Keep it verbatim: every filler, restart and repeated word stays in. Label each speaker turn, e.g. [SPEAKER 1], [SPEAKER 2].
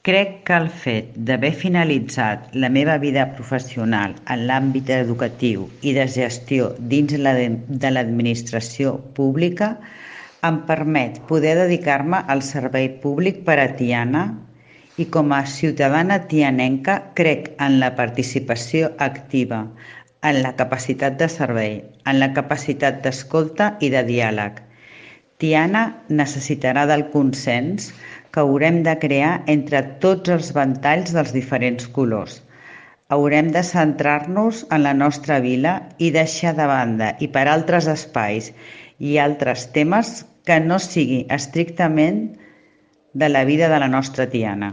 [SPEAKER 1] Crec que el fet d'haver finalitzat la meva vida professional en l'àmbit educatiu i de gestió dins la de de l'administració pública em permet poder dedicar-me al servei públic per a Tiana i com a ciutadana tianenca crec en la participació activa, en la capacitat de servei, en la capacitat d'escolta i de diàleg. Tiana necessitarà del consens que haurem de crear entre tots els ventalls dels diferents colors. Haurem de centrar-nos en la nostra vila i deixar de banda i per altres espais i altres temes que no sigui estrictament de la vida de la nostra Tiana.